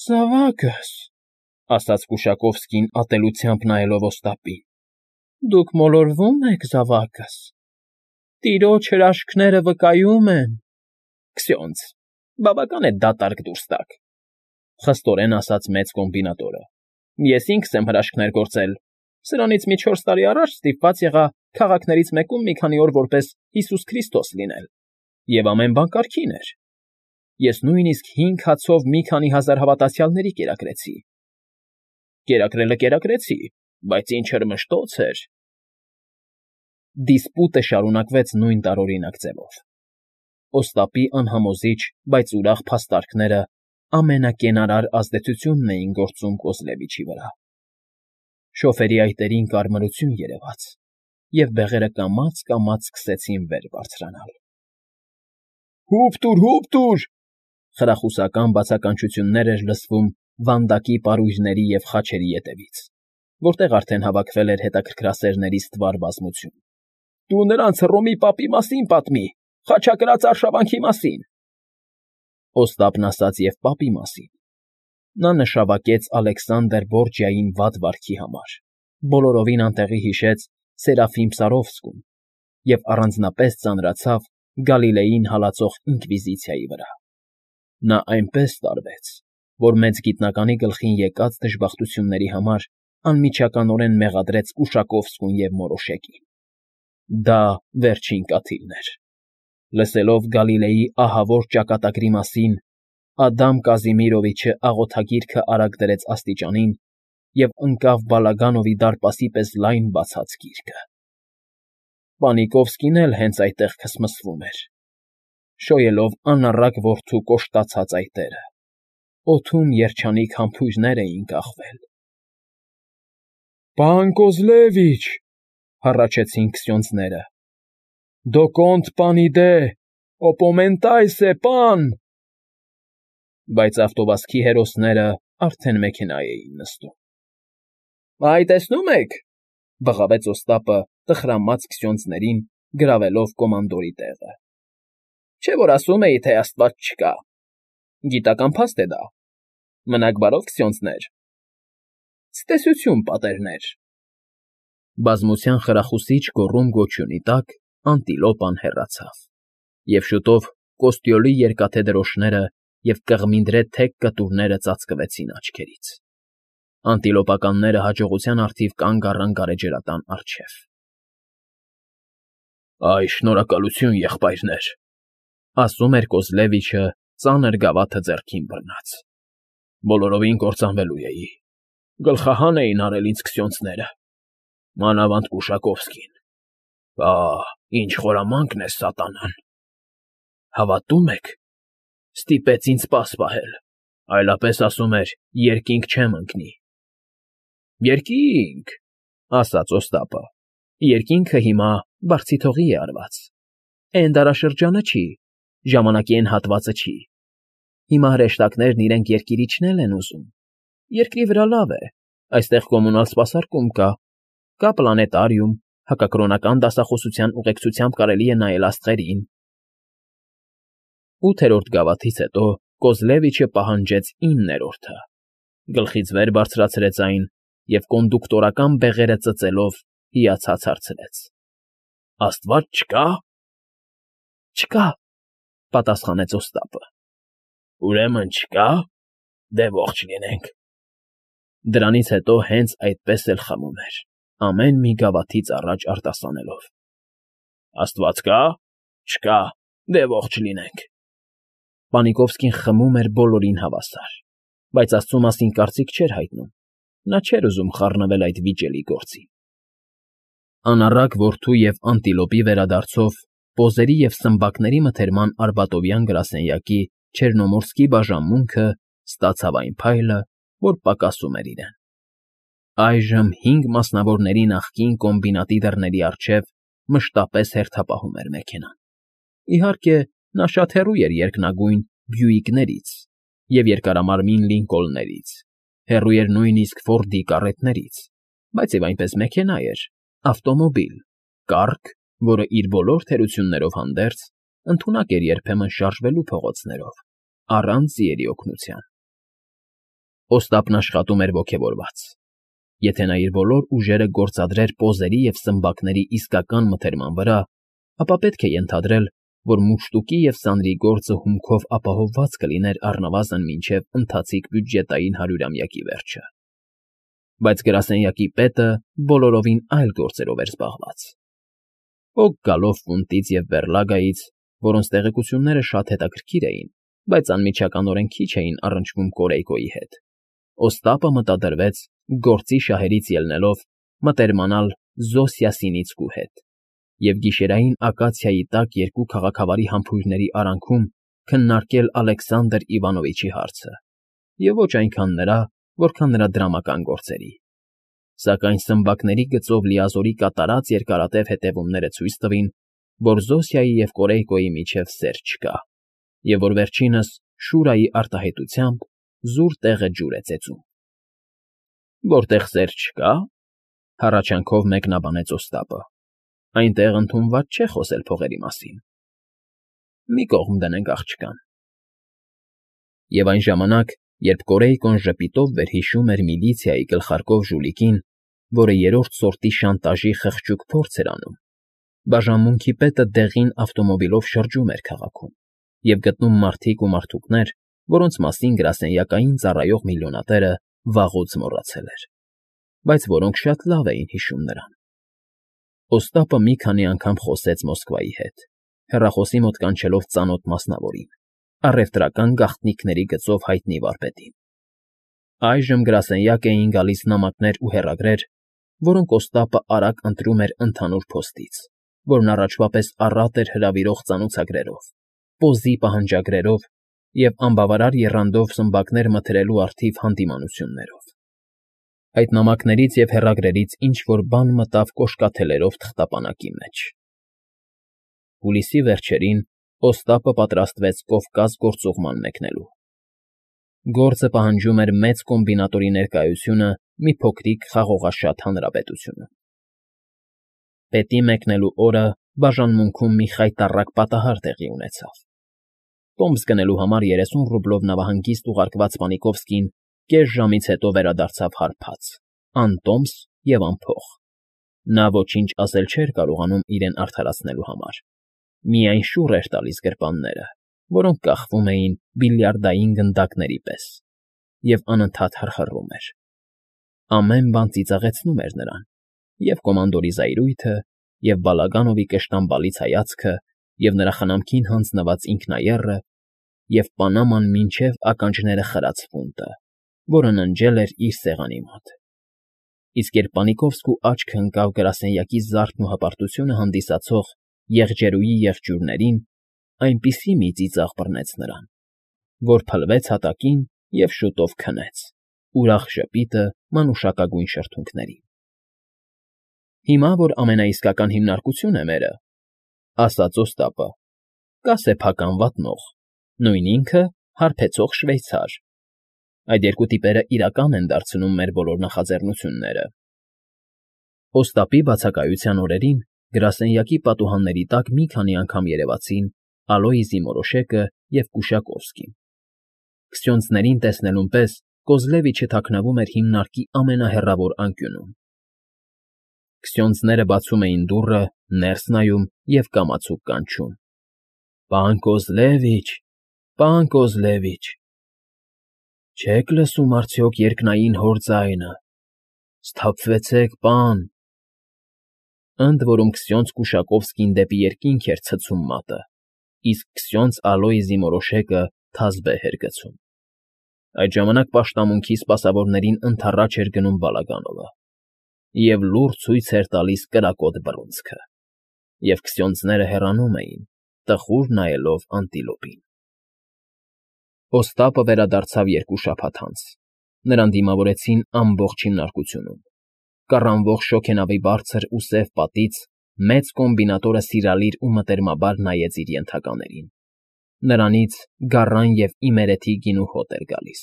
Զավակս, ասաց Կուշակովսկին ատելությամբ նայելով Օստապին, դուք մոլորվում եք, զավակս, տիրոջ հրաշքները վկայում են։ Քսյոնց, բավական է դատարկ դուրս տաք, խստորեն ասաց մեծ կոմբինատորը։ Ես ինքս եմ հրաշքներ գործել, սրանից մի 4 տարի առաջ ստիպված եղա քաղաքներից մեկում մի քանի օր որպես Հիսուս Քրիստոս լինել, և ամեն բան կարգին էր։ Ես նույնիսկ 5 հացով մի քանի հազար հավատացյալների կերակրեցի։ Կերակրելը կերակրեցի, բայց ինչ հրմշտոց էր։ Դիսպուտը շարունակվեց նույն տարօրինակ ձևով։ Օստապի անհամոզիչ, բայց ուրախ փաստարկները ամենակենարար ազդեցությունն էին գործում Կոզլևիչի վրա։ Շոֆերի այտերին կարմրություն երևաց, և բեղերը կամաց֊կամաց սկսեցին վեր բարձրանալ։ «Հուպ տուր, հուպ տուր»։ Խրախուսական բացականչություններ էր լսվում վանդակի պարույրների և խաչերի ետևից, որտեղ արդեն հավաքվել էր հետաքրքրասերների ստվար բազմություն։ «Դու նրանց Հռոմի պապի մասին պատմի, խաչակրաց արշավանքի մասին»։ Օստապն ասաց և պապի մասին։ Նա նշավակեց Ալեքսանդր Բորջիային վատ վարքի համար, բոլորովին անտեղի հիշեց Սերաֆիմ Սարովսկուն և առանձնապես ծանրացավ Գալիլեին հալածող ինկվիզիցիայի վրա։ Նա այնպես տարվեց, որ մեծ գիտնականի գլխին եկած դժբախտությունների համար անմիջականորեն մեղադրեց Կուշակովսկուն և Մորոշեկին։ Դա վերջին կաթիլն էր։ Լսելով Գալիլեի ահավոր ճակատագրի մասին, Ադամ Կազիմիրովիչը աղոթագիրքը արագ դրեց աստիճանին և ընկավ Բալագանովի դարպասի պես լայն բացած գիրկը։ Պանիկովսկին էլ հենց այդտեղ քսմսվում էր, շոյելով անառակ որդու կոշտացած այտերը։ Օդում երջանիկ համբույրներ էին կախվել։ «Պան Կոզլևիչ», հառաչեցին քսյոնձները, «դոկոնտ պանիդե, օպոմենտայսե, պան»։ Բայց ավտովազքի հերոսները արդեն մեքենա էին նստում։ «Այ, տեսնո՞ւմ եք,֊ բղավեց Օստապը տխրամած քսյոնձներին, գրավելով կոմանդորի տեղը,֊ չէ՞ որ ասում էի, թե աստված չկա։ Գիտական փաստ է դա։ Մնաք բարով, քսյոնձներ։ Ցտեսություն, պատերներ»։ Բազմության խրախուսիչ գոռում֊գոչյունի տակ անտիլոպան հեռացավ, և շուտով Կոստյոլի երկաթե դրոշները և կղմինդրե թեք կտուրները ծածկվեցին աչքերից։ Անտիլոպականները հաջողության առթիվ կանգ առան գարեջրատան առջև։ «Այ, շնորհակալություն, եղբայրներ», ասում էր Կոզլևիչը, ծանր գավաթը ձեռքին բռնած։ «Բոլորովին կործանվելու էի։ Գլխահան էին արել ինձ քսյոնձները, մանավանդ Կուշակովսկին։ Փահ, ինչ խորամանկ է սատանան։ Հավատո՞ւմ եք, ստիպեց ինձ պաս պահել, այլապես, ասում էր, երկինք չեմ ընկնի»։ «Երկինք,֊ ասաց Օստապը,֊ երկինքը հիմա բարձիթողի է արված։ Էն դարաշրջանը չի, ժամանակի էն հատվածը չի։ Հիմա հրեշտակներն իրենք երկիր իջնել են ուզում։ Երկրի վրա լավ է, այստեղ կոմունալ սպասարկում կա պլանետարիում, հակակրոնական դասախոսության ուղեկցությամբ կարելի է նայել աստղերին»։ 8-րդ գավաթից հետո Կոզլևիչը պահանջեց 9-րդը, գլխից վեր բարձրացրեց այն և կոնդուկտորական բեղերը ծծելով հիացած հարցրեց. «Աստված չկա՞։ Չկա,֊ պատասխանեց Օստապը։ Ուրեմն չկա՞։ Դե ողջ լինենք։ Դրանից հետո հենց այդպես էլ խմում էր, ամեն մի գավաթից առաջ արտասանելով. «Աստված կա՞։ Չկա։ Դե ողջ լինենք»։ Պանիկովսկին խմում էր բոլորին հավասար, բայց աստծու մասին կարծիք չէր հայտնում, նա չէր ուզում խառնվել այդ վիճելի գործին։ Անառակ որդու և անտիլոպի վերադարձով պոզերի և սմբակների մթերման արբատովյան գրասենյակի Չեռնոմորսկի բաժանմունքը ստացավ այն փայլը, որ պակասում էր իրեն։ Այժմ 5 մասնավորների նախկին կոմբինատի դռների առջև մշտապես հերթապահում էր մեքենան։ Իհարկե, նա շատ հեռու էր երկնագույն Բյուիկներից և երկարամարմին Լինկոլններից, հեռու էր նույնիսկ Ֆորդի կառետներից, բայց և այնպես մեքենա էր, ավտոմոբիլ, կառք, որը իր բոլոր թերություններով հանդերձ ընդունակ էր երբեմն շարժվելու փողոցներով, առանց ձիերի օգնության։ Օստապն աշխատում էր ոգևորված։ Եթե նա իր բոլոր ուժերը գործադրեր պոզերի և սմբակների իսկական մթերման վրա, ապա պետք է ենթադրել, որ մուշտուկի և սանրի գործը հումքով ապահովված կլիներ առնվազն մինչև ընթացիկ բյուջետային հարյուրամյակի վերջը։ Բայց գրասենյակի պետը բոլորովին այլ գործերով էր զբաղված։ Օգ գալով Ֆունտից և Բեռլագայից, որոնց տեղեկությունները շատ հետաքրքիր էին, բայց անմիջականորեն քիչ էին առնչվում Կորեյկոյի հետ, Օստապը մտադրվեց, գործի շահերից ելնելով, մտերմանալ Զոսյասինիցկու հետ և գիշերային ակացիայի տակ երկու քաղաքավարի համբույրների արանքում քննարկել Ալեքսանդր Իվանովիչի հարցը, և ոչ այնքան նրա, որքան նրա դրամական գործերի։ Սակայն սմբակների գծով լիազորի կատարած երկարատև հետևումները ցույց տվին, որ Զոսիայի և Կորեյկոյի միջև սեր չկա, և որ վերջինս Շուրայի արտահայտությամբ զուր տեղը ջուր է ծեծում։ Որտեղ սեր չկա, հառաչանքով մեկնաբանեց Օստապը, այնտեղ ընդունված չէ խոսել փողերի մասին։ Մի կողմ դնենք աղջկան։ Եվ այն ժամանակ, երբ Կորեյկոն ժպիտով վերհիշում էր միլիցիայի գլխարկով ժուլիկին, որը երրորդ սորտի շանտաժի խղճուկ փորձ էր անում, բաժանմունքի պետը դեղին ավտոմոբիլով շրջում էր քաղաքում և գտնում մարդիկ ու մարդուկներ, որոնց մասին գրասենյակային ծառայող միլիոնատերը վաղուց մոռացել էր, բայց որոնք շատ լավ էին հիշում նրան։ Օստապը մի քանի անգամ խոսեց Մոսկվայի հետ, հեռախոսի մոտ կանչելով ծանոթ մասնավորին, առևտրական գաղտնիքների գծով հայտնի վարպետին։ Այժմ գրասենյակ էին գալիս նամակներ ու հեռագրեր, որոնք Օստապը արագ ընտրում էր ընդհանուր փոստից, որն առաջվա պես առատ էր հրավիրող ծանոթագրերով, պոզի պահանջագրերով և անբավարար եռանդով սմբակներ մթերելու առթիվ հանդիմանություններով։ Այդ նամակներից և հեռագրերից ինչ֊որ բան մտավ կոշկաթելերով թղթապանակի մեջ։ Հուլիսի վերջերին Օստապը պատրաստվեց Կովկաս գործուղման մեկնելու։ Գործը պահանջում էր մեծ կոմբինատորի ներկայությունը մի փոքրիկ խաղողաշատ հանրապետությունում։ Պետի մեկնելու օրը բաժանմունքում մի խայտառակ պատահար տեղի ունեցավ։ Տոմս գնելու համար 30 ռուբլով նավահանգիստ ուղարկված Պանիկովսկին կես ժամից հետո վերադարձավ հարբած, անտոմս և անփող։ Նա ոչինչ ասել չէր կարողանում իրեն արդարացնելու համար, միայն շուռ էր տալիս գրպանները, որոնք կախվում էին բիլիարդային գնդակների պես, և անընդհատ խռխռում էր։ Ամեն բան ծիծաղեցնում էր նրան, և կոմանդորի զայրույթը, և Բալագանովի կշտամբալից հայացքը, և նրա խնամքին հանձնված ինքնաեռը, և Պանաման մինչև ականջները խրած ֆունտը, որը ննջել էր իր սեղանի մոտ։ Իսկ երբ Պանիկովսկու աչքը ընկավ գրասենյակի զարդն ու հպարտությունը հանդիսացող եղջերուի եղջյուրներին, այնպիսի մի ծիծաղ բռնեց նրան, որ փլվեց հատակին և շուտով քնեց, ուրախ ժպիտը մանուշակագույն շրթունքներին։ Հիմա, որ ամենաիսկական հիմնարկություն է մերը, ասաց Օստապը, կա սեփական վատնող, նույն ինքը հարբեցող շվեյցար։ Այդ երկու տիպերը իրական են դարձնում մեր բոլոր նախաձեռնությունները։ Օստապի բացակայության օրերին գրասենյակի պատուհանների տակ մի քանի անգամ երևացին Ալոյզի Մորոշեկը և Կուշակովսկին։ Քսյոնցներին տեսնելուն պես Կոզլևիչը թաքնվում էր հիմնարկի ամենահեռավոր անկյունում։ Քսյոնցները բացում էին դուռը, ներս նայում և կամացուկ կանչում. «Պան Կոզլևիչ, պան Կոզլևիչ, չե՞ք լսում արդյոք երկնային հոր ձայնը, սթափվեցեք, պան»։ Ընդ որում քսյոնց Կուշակովսկին դեպի երկինք էր ցցում մատը, իսկ քսյոնց Ալոյզի Մորոշեկը թազբեհ էր գցում։ Այդ ժամանակ պաշտամունքի սպասավորներին ընդառաջ էր գնում Բալագանովը և լուռ ցույց էր տալիս կրակոտ բռունցքը, և քսյոնցները հեռանում էին, տխուր նայելով անտիլոպին։ Օստապը վերադարձավ 2 շաբաթ անց։ Նրան դիմավորեցին ամբողջ հիմնարկությունում։ Կառանվող շոգենավի բարձր ու սև պատից մեծ կոմբինատորը սիրալիր ու մտերմաբար նայեց իր ենթականերին։ Նրանից գառան և իմերեթի գինու հոտ էր գալիս։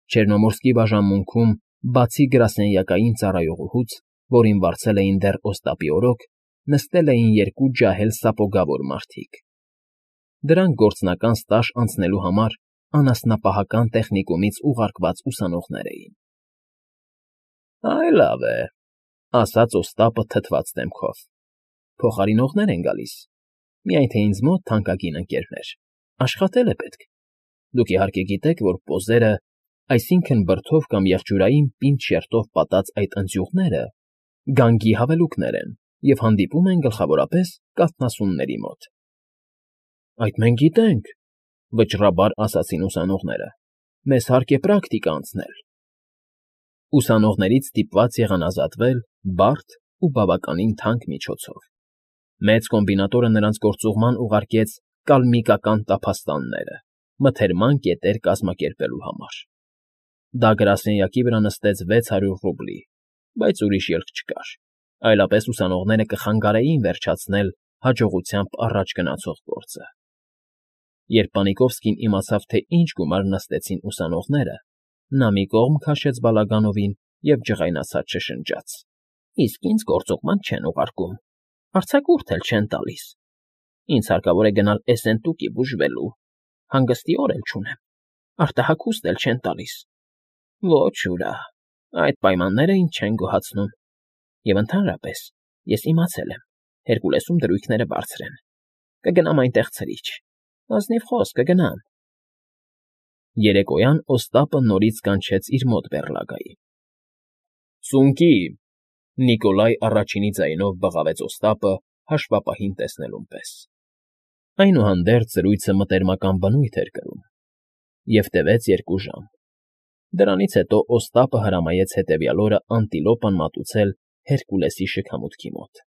Չեռնոմորսկի բաժանմունքում, բացի գրասենյակային ծառայողուհուց, որին վարձել էին դեռ Օստապի օրոք, նստել էին 2 ջահել սապոգավոր մարդիկ։ Դրանք գործնական ստաժ անցնելու համար անասնապահական տեխնիկումից ուղարկված ուսանողներ էին։ Այ լավ է, ասաց Օստապը թթված դեմքով։ Փոխարինողներ են գալիս, միայն թե ինձ մոտ թանկագին ընկերներ, աշխատել է պետք։ Դուք իհարկե գիտեք, որ պոզերը, այսինքն բրդով կամ եղջյուրային պինդ շերտով պատած այդ ընձյուղները գանգի հավելուկներ են և հանդիպում են գլխավորապես կաթնասունների մոտ։ Այդ մենք գիտենք, վճռաբար ասացին ուսանողները, մեզ հարկ է պրակտիկա անցնել։ Ուսանողներից ստիպված եղան ազատվել բարդ ու բավականին թանկ միջոցով։ Մեծ կոմբինատորը նրանց գործուղման ուղարկեց կալմիկական տափաստանները, մթերման կետեր կազմակերպելու համար։ Դա գրասենյակի վրա նստեց 600 ռուբլի, բայց ուրիշ ելք չկար, այլապես ուսանողները կխանգարեին վերջացնել հաջողությամբ առաջ գնացող գործը։ Երբ Պանիկովսկին իմացավ, թե ինչ գումար նստեցին ուսանողները, նա մի կողմ քաշեց Բալագանովին և ջղայնացած շշնջաց. Իսկ ինձ գործուղման չեն ուղարկում, արձակուրդ էլ չեն տալիս։ Ինձ հարկավոր է գնալ Էսենտուկի բուժվելու, հանգստի օր էլ չունեմ, արտահագուստ էլ չեն տալիս։ Ոչ ուրա, այդ պայմանները ինձ չեն գոհացնում։ Եվ ընդհանրապես, ես իմացել եմ, Հերկուլեսում դրույքները բարձր են։ Կգնամ այնտեղ ցրիչ, ազնիվ խոսք կգնամ։ Երեկոյան Օստապը նորից կանչեց իր մոտ բեռլագայի։ Սունկի, Նիկոլայ առաջինի ձայնով բղավեց Օստապը հաշվապահին տեսնելուն պես։ Այնուհանդերձ զրույցը մտերմական բնույթ էր կրում և տևեց 2 ժամ։ Դրանից հետո Օստապը հրամայեց հետևյալ օրը անտիլոպան մատուցել Հերկուլեսի շքամուտքի մոտ։